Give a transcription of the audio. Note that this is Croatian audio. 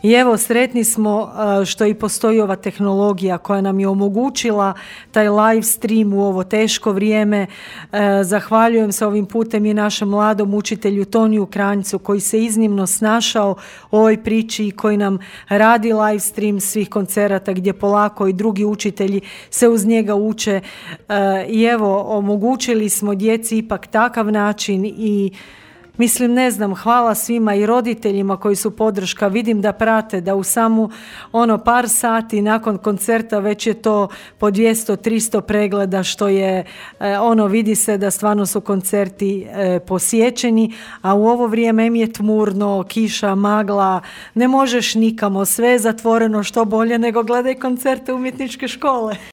I evo, sretni smo što i postoji ova tehnologija koja nam je omogućila taj live stream u ovo teško vrijeme. Zahvaljujem se ovim putem i našem mladom učitelju Toniju Kranjcu koji se iznimno snašao u ovoj priči i koji nam radi live stream svih koncerata gdje polako i drugi učitelji se uz njega uče. I evo, omogućili smo djeci ipak takav način i mislim, ne znam, hvala svima i roditeljima koji su podrška. Vidim da prate da u samo par sati nakon koncerta već je to po 200-300 pregleda, što je vidi se da stvarno su koncerti posjećeni, a u ovo vrijeme je tmurno, kiša, magla, ne možeš nikamo, sve je zatvoreno, što bolje nego gledaj koncerte umjetničke škole.